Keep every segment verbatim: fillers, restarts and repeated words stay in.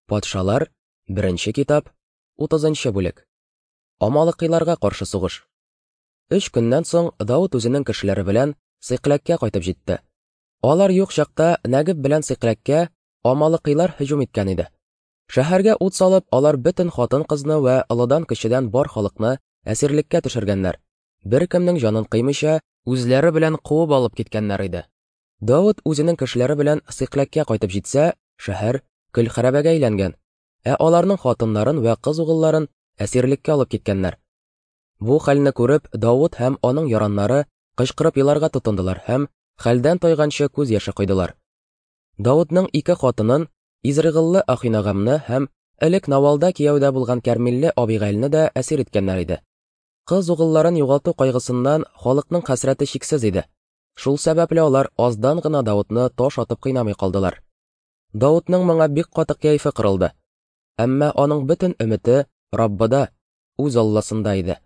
Патшалар, беренче китап, утызынчы бүлек. Амалыкыйларга каршы сугыш. Өч көннән соң Давыт үзенең кешеләре белән Сыйкләккә кайтып җитте. Алар юк чакта Нәгеб белән Сыйкләккә амалыкыйлар һөҗүм иткән иде. Шәһәргә ут салып, алар бөтен хатын-кызны вә олыдан-кечедән бар халыкны әсирлеккә төшергәннәр. Беркемнең җанын кыймыйча, үзләре белән куып алып киткәннәр иде. Давыт үзенең кешеләре белән Сыйкләккә кайтып җитсә, шәһәр көл хәрабәгә әйләнгән, ә аларның хатыннарын вә кыз угылларын әсирлеккә алып киткәннәр. Бу хәлне күреп, Давыт һәм аның яраннары кычкырып еларга тотындылар һәм хәлдән тайганчы күз яше койдылар. Давытның ике хатынын, Изрыгыллы Ахинагамны һәм элек Навалда кияүдә булган Кәрмилле Абигайлны да әсир иткәннәр иде. Кыз угылларын югалту кайгысыннан халыкның хәсрәте чиксез иде. Шул сәбәпле алар аздан гына Давытны таш атып кыйнамый калдылар. Давытның моңа бик каты кәефе кырылды. Әмма аның бөтен өмете Раббыда, үз Алласында иде.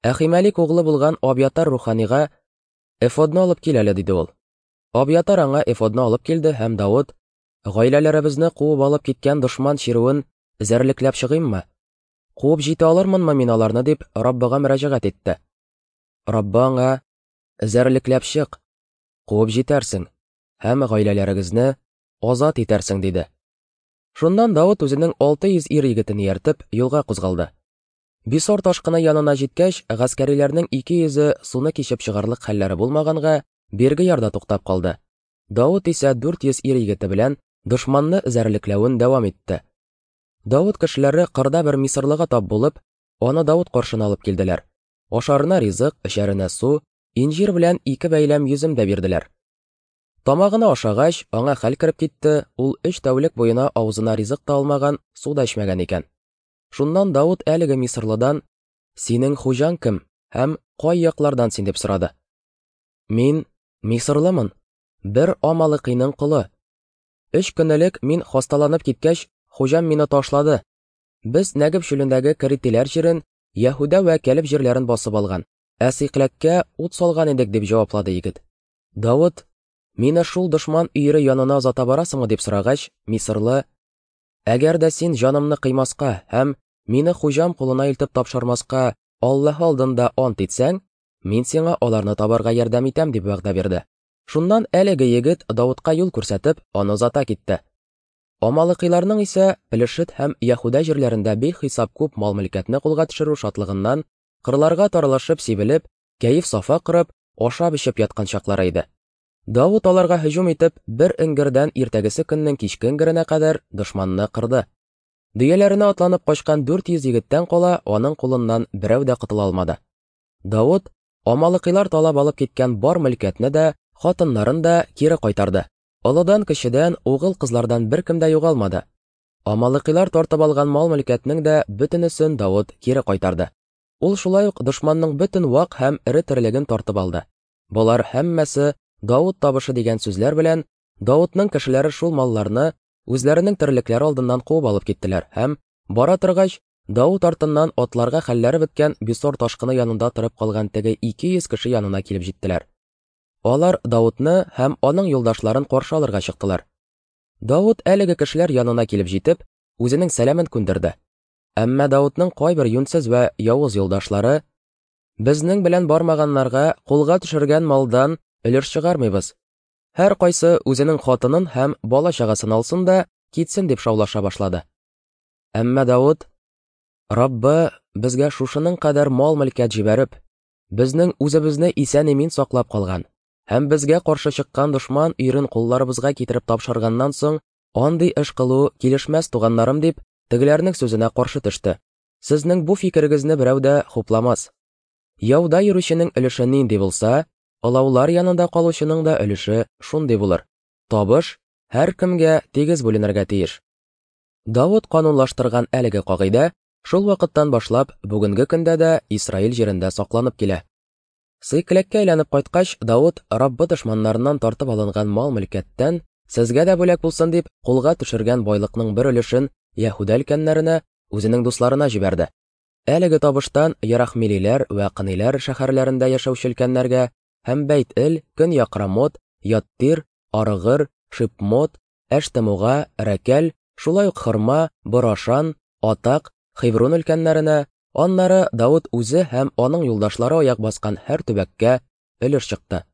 Әхимәлик углы булган Абьятар руханига эфодны алып кил әле, диде ул. Абьятар аңа эфодны алып килде һәм Давыт: "Гаиләләребезне куып алып киткән дошман чирүен эзәрлекләп чыгыйммы? Куып җитә алырмынмы мин аларны?" дип Раббыга мөрәҗәгать итте. Раббы аңа: "Эзәрлекләп чык, куып җитәрсең һәм гаиләләрегезне азат итәрсең", диде. Шуннан Давыт үзенең алты йөз ир егетен ияртеп юлга кузгалды. Бисор ташкыны янына җиткәч, гаскәриләрнең ике йөзе суны кичеп чыгарлык хәлләре булмаганга, бирге ярда туктап калды. Давыт исә дүрт йөз ир егете белән дошманны эзәрлекләвен дәвам итте. Давыт кешеләре кырда бер мисырлыга тап булып, аны Давыт каршына алып килделәр. Ашарына ризык, эчәренә су, инҗир белән ике бәйләм йөзем дә бирделәр. Тамагына ашагач, аңа хәл кереп китте, ул өч тәүлек буена авызына ризык та алмаган, су да эчмәгән икән. Шуннан Давыт әлеге мисырлыдан: "Синең хуҗаң кем һәм кай яклардан син?" дип сорады. "Мин мисырлымын, бер амалыкыйның колы. Өч көн элек мин хасталанып киткәч, хуҗам мине ташлады. Без Нәгеб чүлендәге Керитиләр җирен, Яһүдә вә Кәлеб җирләрен басып алган, ә Сыйкләккә ут салган идек", дип җаваплады егет. Давыт: "Мине шул дошман өере янына озата барасыңмы?" дип сорагач, мисырлы: "Әгәр дә син җанымны кыймаска һәм мине хуҗам кулына илтеп тапшырмаска Аллаһ алдында ант итсәң, мин сиңа аларны табарга ярдәм итәм", дип вәгъдә бирде. Шуннан әлеге егет Давытка юл күрсәтеп, аны озата китте. Амалыкыйларның исә Пелешет һәм Яһүдә җирләрендә бихисап күп мал-мөлкәтне кулга төшерү шатлыгыннан кырларга таралышып сибелеп, кәеф-сафа корып, ашап-эчеп яткан чаклары иде. Давыт аларга һөҗүм итеп, бер эңгердән иртәгесе көннең кичке эңгеренә кадәр дошманны кырды. Дөяләренә атланып качкан дүрт йөз егеттән кала аның кулыннан берәү дә котыла алмады. Давыт амалыкыйлар талап алып киткән бар мөлкәтне дә, хатыннарын да кире кайтарды. Олыдан кечедән, угыл кызлардан беркем дә югалмады. Амалыкыйлар тартып алган мал-мөлкәтнең дә бөтенесен Давыт кире кайтарды. Ул шулай ук дошманның бөтен вак һәм эре терлеген тартып алды. Болар һәммәсе Давыт табышы дигән сүзләр белән Давытның кешеләре шул малларны үзләренең терлекләре алдыннан куып алып киттеләр һәм, бара торгач, Давыт артыннан атларга хәлләре беткән Бисор ташкыны янында торып калган теге ике йөз кеше янына килеп җиттеләр. Алар Давытны һәм аның юлдашларын каршы алырга чыктылар. Давыт әлеге кешеләр янына килеп җитеп, үзенең сәламен күндерде. Әмма Давытның кайбер юньсез вә явыз юлдашлары: "Безнең белән бармаганнарга кулга төшергән малдан өлеш чыгармыйбыз. Һәр кайсы үзенең хатынын һәм бала-чагасын алсын да китсен", дип шаулаша башлады. Әмма Давыт: "Раббы безгә шушының кадәр мал-мөлкәт җибәреп, безнең үзебезне исән-имин саклап калган һәм безгә каршы чыккан дошман өерен кулларыбызга китереп тапшырганнан соң, андый эш кылу килешмәс, туганнарым", дип, тегеләрнең сүзенә каршы төште. "Сезнең бу фикерегезне берәү дә хупламас. Яуда йөрүченең өлеше нинди булса, олаулар янында калучының да өлеше шундый булыр. Табыш һәркемгә тигез бүленергә тиеш". Давыт канунлаштырган әлеге кагыйдә шул вакыттан башлап бүгенге көндә дә Исраил җирендә сакланып килә. Сыйкләккә әйләнеп кайткач, Давыт Раббы дошманнарыннан тартып алынган мал-мөлкәттән сезгә дә бүләк булсын дип кулга төшергән байлыкның бер өлешен Яһүдә өлкәннәренә, үзенең дусларына җибәрде. Әлеге табыштан Ярахмилиләр вә Кыниләр шәһәрләрендә яшәүче өлкәннәргә һәм Бәйт-Эл, Көньяк Рамот, Яттир, Арыгыр, Шипмот, Әштемуга, Рәкәл, Шулай ук Хырма, Борашан, Атак, Хеврон өлкәннәренә, аннары Давыт үзе һәм аның юлдашлары аяк баскан һәр төбәккә өлеш чыкты.